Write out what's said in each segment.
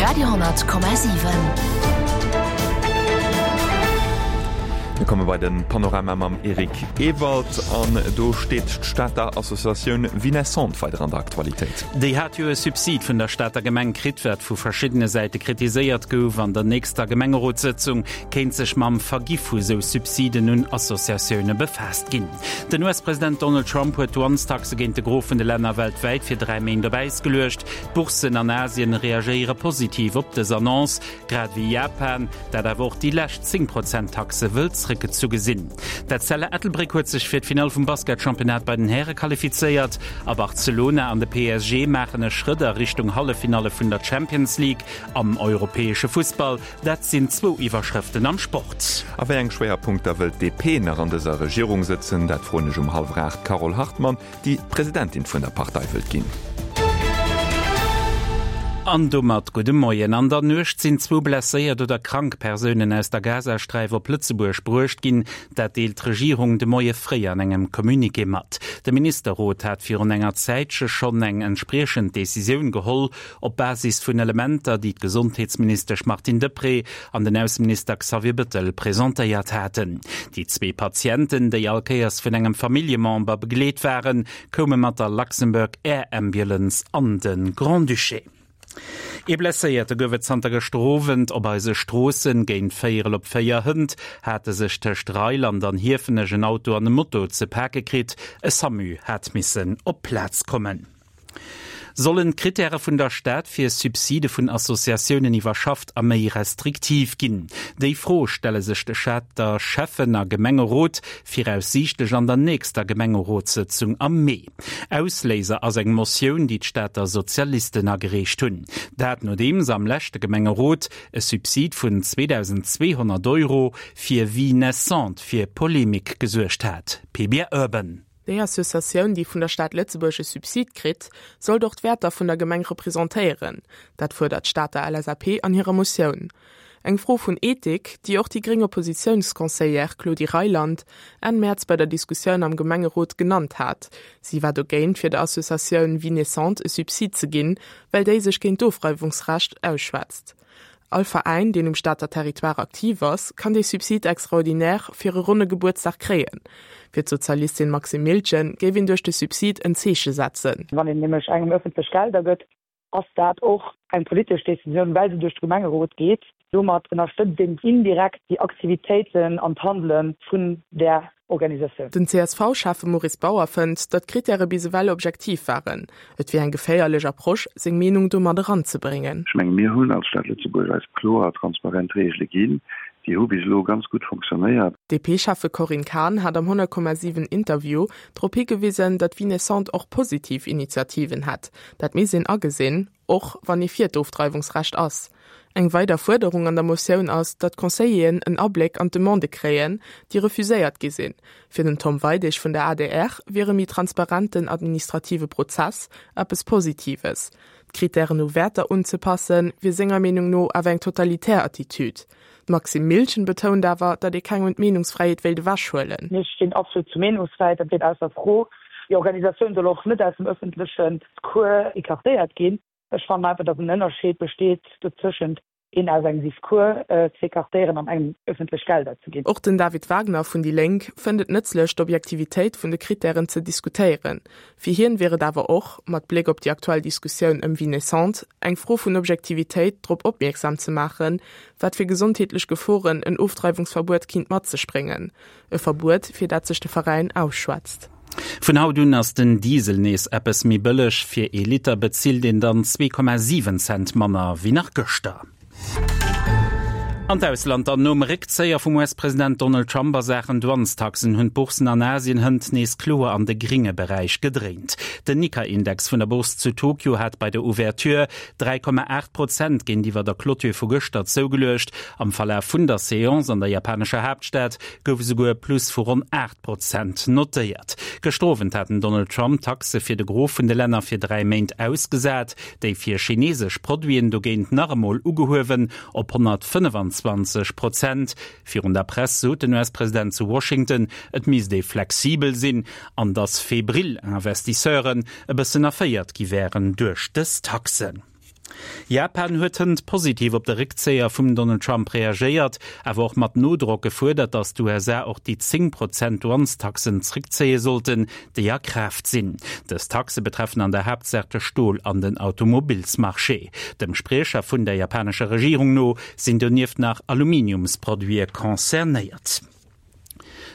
Radio,7. Mir komme bei de Panorama mam Eric Ewald an do steet d'Stater Associatioun Vie Naissante weider an der Aktualitéit. Déi hat jo e Subsid vun der Stater Gemeng kritt, wat vu verschiddene Säite kritiséiert gouf. An der nächster Gemengerotssëtzung kéint sech mam Vergi vu sou Subsiden un Associatioune befaasst ginn. Den US-President Donald Trump huet d'Douanestaxe géint de Gros vun de Länner weltwäit fir 3 Méint op Äis geluecht. D'Bourssen an Asien reagéiere positiv op dës Annonce, grad ewéi Japan, dat awer och déi lescht 10 Prozent Taxe wëll zréckgezu gesinn. D'Etzella Ettelbréck huet sech fir d'Finall vum Basketchampionnat bei den Häre qualifizéiert a Barcelona an de PSG maachen e Schrëtt a Richtung Halleffinalle vun der Champions League am europäesche Fussball. Dat sinn zwou Iwwerschrëften am Sport. A wéi eng Schwéierpunkter wëllt d'DP nach an dëser Regierung sëtzen? Dat froen ech um hallwer 8 d'Carole Hartmann, déi Presidentin vun der Partei wëllt ginn. An domat gudde Moien. An der Nuecht sinn zwou blesséiert oder krank Persounen aus der Gazasträif op Lëtzebuerg bruecht ginn. Dat deelt d'Regierung de Moie fréi an engem Communiqué mat. De Ministerrot hat virun enger Zäitche schonn eng entspriechend Decisioun geholl. Op Basis vun Elementer, déi d'Gesondheetsministesch Martine Deprez an den Ausseminister Xavier Bëttel presentéiert haten. Déi zwee Patienten, déi all Kéiers vun engem Familljemember begleet waren, koume mat der Luxembourg Air Ambulance an de Grand-Duché. Ee Blesséierte gouf et zanter gëschter Owend op eise Stroossen. Géint véierel op 4 hënt hate sech tëscht Reiland an Hiefenech en Auto an e Moto ze pake kritt. E Samu hat missen op d'Plaz kommen. Sollen d'Krittäre vun der Stad fir Subside vun Associatiounen iwwerschafft a méi restriktiv ginn? Déi Fro stelle sech de Stater Schäffen a Gemengerot viraussiichtlech an der nächster Gemengerotssëtzung am Mee. Ausléiser ass eng Motioun, déi d'Stater Sozialisten agereecht hunn. Dat nodeems am leschte Gemengerot e Subsid vun 2.200 Euro fir Vie naissante fir Polemik gesuergt hat. Pbr Urban. Déi Associatioun, déi vun der Stad Lëtzebuerg e Subsid kritt, sollt och d'Wäerter vun der Gemeng representéieren. Dat fuerdert d'Stater LSAP an hirer Motioun. Eng Fro vun Ethik, déi och déi gréng Oppositiounsconseillère Claudie Reyland Enn Mäerz bei der Diskussioun am Gemengerot genannt hat. Si war dogéint, fir der Associatioun Vie naissante e Subsid ze ginn, well déi sech géint d'Ofreiwungsrecht ausschwätzt. All Veräin, deen um Stater Territoire aktiv ass, kann dee Subside extraordinaire fir e ronne Gebuertsdag kréien. Fir d'Sozialistin Maxime Miltgen géif een duerch de Subsid en Zeeche setzen. Wann een nämlech engem ëffentlech Gelder gëtt, ass dat och eng politesch Decisioun, well se duerch de Gemengerot geet. Domat ënnerstëtzt een indirekt déi Aktivitéiten an d'Handele vun där Organisatioun. Den CSV-Schäffe Maurice Bauer fënnt, datt d'Krittäre bis ewell objektiv waren. Et wier eng geféierlech Approche, seng Meenung do mat eranzebréngen. Ech menge mir hunn als Stad Lëtzebuerg eis kloer a transparent Reegele ginn. Déi hu bis elo ganz gutt fonctionnéiert. D'DP-Schäffe Corinne Cahen hat am 100,7 Interview drop higewisen, datt Vie naissante och positiv Initiativen hätt. Dat misst een agesinn. Och wann ee fir d'Ofdreiwungsrecht ass. Eng weider Fuerderung an der Motioun ass, datt d'Conseilleren en Abléck an d'Demandë kréien, déi refuséiert gi sinn. Fir den Tom Weidig vun der adr wier e méi transparenten administrative Prozess eppes Positives. D'Krittären u Wäerter unzepassen, wier senger Meenung no awer eng totalitär Attitüd. D'Maxime Miltgen betount awer, datt ee kengem d'Meenungsfräiheet wéilt ewechhuelen. Mir stinn absolut zur Meenungsfräiheet, dat steet ausser Fro. Déi Organisatioun soll och net aus dem ëffentlechen Discours écartéiert ginn. Ech fannen einfach, datt en Ënnerscheed besteet dozëschent een aus engem Discours ze écartéieren an engem ëffentlech Gelder ze ginn. Och den David Wagner vun déi Lénk fënnt et nëtzlech, d'Objektivitéit vun de Krittären ze diskutéieren. Fir hien wier et awer och, mat Bléck op déi aktuell Diskussioun ëm Vie naissante, eng Fro vun Objektivitéit, drop opmierksam ze maachen, wat fir gesondheetlech Geforen en Ofdreiwungsverbuet kinnt mat sech bréngen. E Verbuet, fir dat sech de Veräin ausschwätzt. Vun haut un ass den Diesel nees eppes méi bëlleg. Fir ee Liter bezilt een dann 2,7 Cent manner wéi nach gëschter. An d'Ausland dann, Nom Réckzéier vum US-President Donald Trump a Saachen Douanestaxen hunn d'Bourssen an Asien hënt nees kloer an de gringe Beräich gedréint. Den Nikkei-Index vun der Bourse zu Tokio hat bei der Ouverture 3,8 Prozent géintiwwer der Clôture vu gëschter zougeluecht. Am Verlaf vun der Seance an der japanescher Haaptstad gouf esouguer e Plus vu ronn 8 Prozent notéiert. Gëschter Owend hat den Donald Trump d'Taxe fir de Gros vun de Länner fir 3 Méint ausgesat, déi fir chinesesch Produiten dogéint nach emol ugehuewen op 125 Prozent. Virun der Press sot den US-President zu Washington, et misst ee flexibel sinn an datt febril Investisseuren e bëssen erféiert gi wären duerch dës Taxen. Japan huet hënt positiv op de Réckzéier vum Donald Trump reagéiert, awer och mat Nodrock gefuerdert, datt d'USA och déi 10 Prozent Douanestaxen zréckzéie sollten, déi a Kraaft sinn. Dës Taxe betreffen an der Haaptsaach de Stol an den Automobilsmarché. Dem Spriecher vun der japanescher Regierung no sinn donieft nach Aluminiumsproduite concernéiert.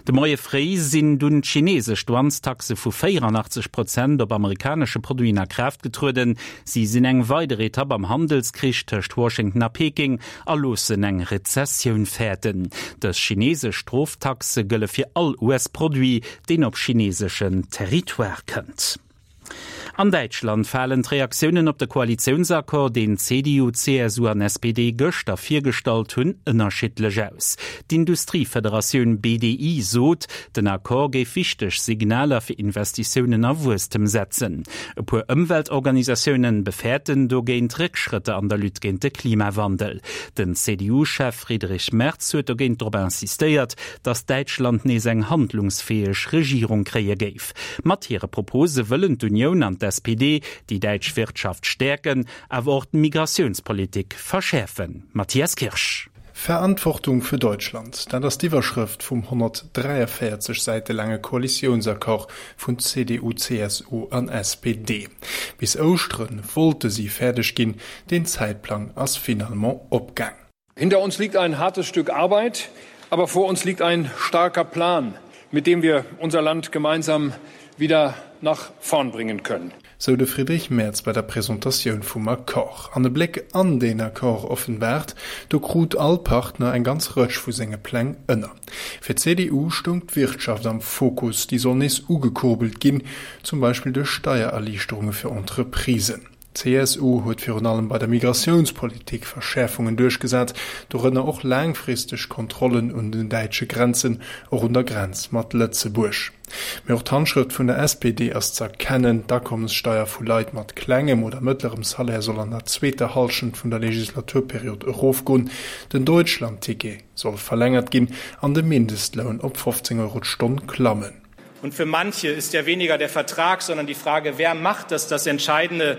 De Moie fréi sinn dunn d'chineesesch Douanestaxe vu 84 Prozent op amerikanesche Produiten a Kraaft getrueden. Si sinn eng weider Etapp am Handelskrich tëscht Washington a Peking a loossen eng Rezessioun fäerten. Dës chineesesch Stroftaxe gëlle fir all US-Produit, deen op chineeseschen Territoire kënnt. An Däitschland falen d'Reaktiounen op de Koalitiounsaccord, deen CDU, CSU an SPD gëschter virgestallt hunn, ënnerschiddlech aus. D'Industriefederatioun BDI sot, den Accord géif wichteg Signaler fir Investitiounen a Wuesstem setzen. E puer Ëmweltorganisatioune befäerten dogéint Réckschrëtter an der Lutte géint de Klimawandel. Den CDU-Chef Friedrich Merz huet dogéint drop insistéiert, datt Däitschland nees eng handlungsfäeg Regierung kréie géif. Mat hire Propose wëllen d'Unioun an d'SPD déi däitsch Wirtschaft stäerken, awer och d'Migratiounspolitik verschäerfen. Matthias Kirsch. Verantwortung für Deutschland, dat ass d'Iwwerschrëft vum 143 Säite laange Koalitiounsaccord vun CDU, CSU an SPD. Bis Ouschtere wollte si fäerdeg ginn, deen Zäitplang ass finalement opgaang. Hinter uns liegt ein hartes Stück Arbeit, aber vor uns liegt ein starker Plan, mit dem wir unser Land gemeinsam wieder nach vorn bringen können. Sou de Friedrich Merz bei der Presentatioun vum Accord. An e Bléck an deen Accord offenbaart, do krut all Partner eng ganz Rëtsch vu senge Pläng ënner. Fir d'CDU stoung d'Wirtschaft am Fokus, déi soll nees ugekurbelt ginn, zum Beispill duerch Steiererliichterunge fir Entreprisen. D'CSU huet virun allem bei der Migratiounspolitik Verschäerfungen duerchgesat, dorënner och laangfristeg Kontrollen un den däitsche Grenzen, och un der Grenz mat Lëtzebuerg. Mee och d'Handschrëft vun der SPD ass z'erkennen, D'Akommessteier vu Leit mat klengem oder mëttlerem Salaire soll an der zweeter Hallschent vun der Legislaturperiod erofgoen, den Deutschlandticket soll verlängert ginn an de Mindestloun op 15 Euro d'Stonn klammen. Und für manche ist ja weniger der Vertrag, sondern die Frage, wer macht das das Entscheidende,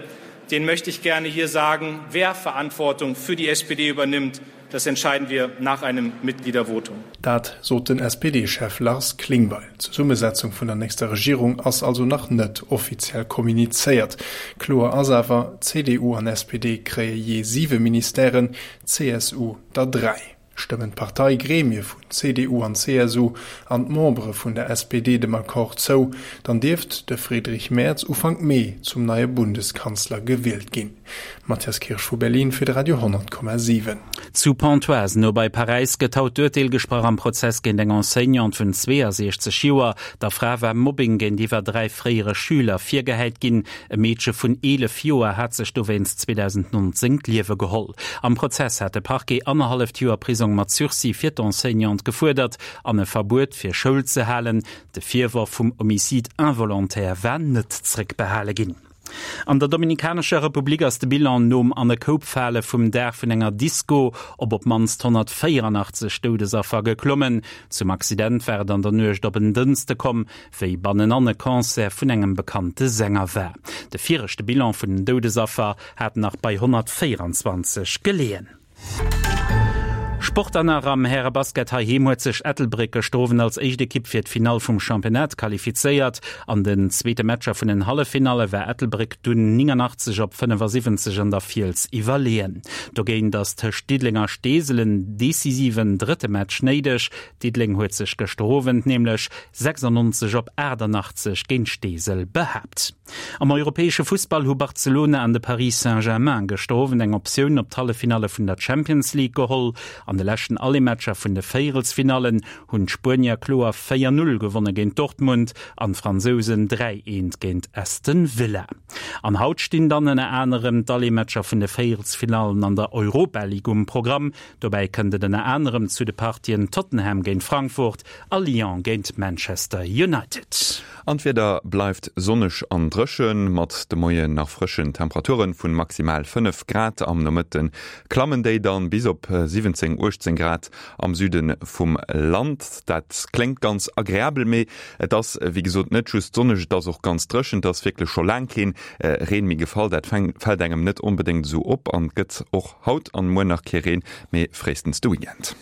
den möchte ich gerne hier sagen, wer Verantwortung für die SPD übernimmt, das entscheiden wir nach einem Mitgliedervotum. Dat sot den SPD-Chef Lars Klingbeil. D'Zesummesetzung vun der nächster Regierung ass also nach net offiziell kommunizéiert. Kloer ass awer, CDU an SPD kréie jee siwe Ministèren, CSU der dräi. Stëmmen d'Parteigremie vun CDU an CSU an d'Membere vun der SPD dem Accord zou, dann dierft de Friedrich Merz Ufank Mee zum neie Bundeskanzler gewielt ginn. Mathias Kirsch vu Berlin fir de Radio 10,7. Zu Pontoise, no bei Paräis, gëtt haut d'Urteel gesprach am Prozess géint eng Enseignante vun 62 Joer. Der Fra war Mobbing géintiwwer 3 fréiere Schüler virgehäit ginn. E Meedche vun 11 Joer hat sech dowéinst 2019 d'Liewe geholl. Am Prozess hat de Parquet annerhalleft Joer Prisong mat Sursis fir d'Enseignante gefuerdert an e Verbuet fir Schoul ze halen. De Virworf vum Homicide involontaire war net zréckbehale ginn. An der Dominikanescher Republik ass de Bilan nom an e Koup fale vum Daach vun enger Disco op op d'mannst 184 Doudesaffer geklommen. Zum Accident war et an der Nuecht op en Dënschde komm. wéi bannenan e Concert vun engem bekannte Sänger war. De viregte Bilan vun den Doudesaffer hat nach bei 124 geleeën. Sport an nach am Härebasket heiheem huet sech Ettelbréck gëschter Owend als éischt Ekipp fir d'Finall vum Championnat qualifizéiert. An den zweete Matcher vun den Halleffinalle war Ettelbréck dunn 89 op 75 an der Fiels iwwerleeën. Dogéint ass tëscht Diddeleng a Steesel en decisiven drëtte Match néideg. Diddeleng huet sech gëschter Owend nämlech 96 op 88 géint Steesel behaapt. Am europäesche Fussball hu Barcelona an de Paris Saint-Germain gëschter Owend eng Optioun op d'Halleffinalle vun der Champions League geholl. An de leschten Allemaatcher vun de Véierelsfinallen hunn d'Spuenier kloer 4, 0 gewonne géint Dortmund an d'Fransousen 3, 1 géint Aston Villa. An haut stinn dann ënner anerem d'Allematcher vun de Véierelsfinallen an der Europa League um Programm. Dobäi kënnt et ënner anerem zu de Partien Tottenham géint Frankfurt a Lyon géint Manchester United. An d'Wieder bleift sonneg an dréchen, mat de Moien nach frëschen Temperaturen vun maximal 5 Grad. Am Nomëtten klammen déi dann bis op 17. 18 Grad am Süde vum Land. Dat kléngt ganz agreabel, mee et ass wéi gesot net just sonneg, et ass och ganz dréchen. Et ass wierklech scho laang keen Reen méi gefall. Dat fält engem net onbedéngt esou op an et gëtt och haut an muer nach kee Reen, mee fréistens de Weekend.